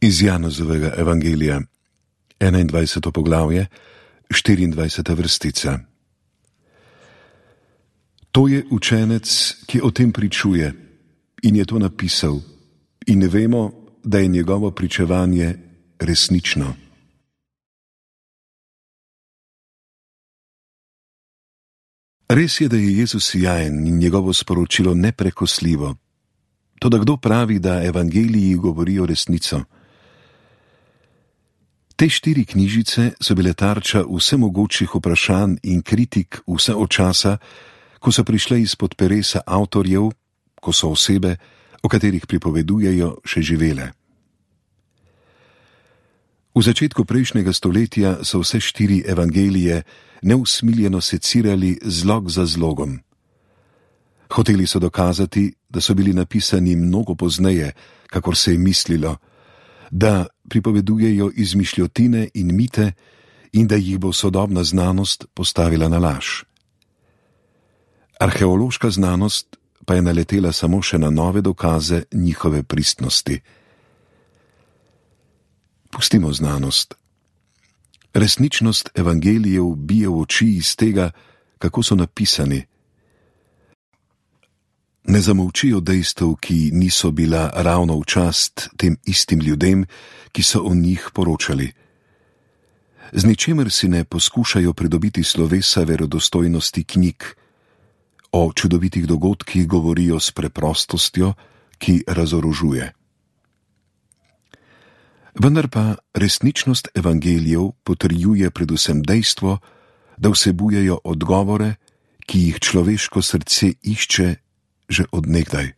Iz Janezovega evangelija, 21. poglavje, 24. vrstica. To je učenec, ki o tem pričuje in je to napisal, in vemo, da je njegovo pričevanje resnično. Res je, da je Jezus sijajen in njegovo sporočilo neprekosljivo. Toda kdo pravi, da evangeliji govorijo resnico? Te 4 knjižice so bile tarča vsemogočih vprašanj in kritik vse od časa, ko so prišle izpod peresa avtorjev, ko so osebe, o katerih pripovedujejo, še živele. V začetku prejšnjega stoletja so vse 4 evangelije neusmiljeno secirali zlog za zlogom. Hoteli so dokazati, da so bili napisani mnogo pozneje, kakor se je mislilo, da pripovedujejo izmišljotine in mite in da jih bo sodobna znanost postavila na laž. Arheološka znanost pa je naletela samo še na nove dokaze njihove pristnosti. Pustimo znanost. Resničnost evangelijev bije v oči iz tega, kako so napisani. Ne zamolčijo dejstev, ki niso bila ravno v čast tem istim ljudem, ki so o njih poročali. Z ničemer si ne poskušajo pridobiti slovesa verodostojnosti knjig. O čudovitih dogodkih govorijo s preprostostjo, ki razorožuje. Vendar pa resničnost evangelijev potrjuje predvsem dejstvo, da vsebujejo odgovore, ki jih človeško srce išče že od nekdaj.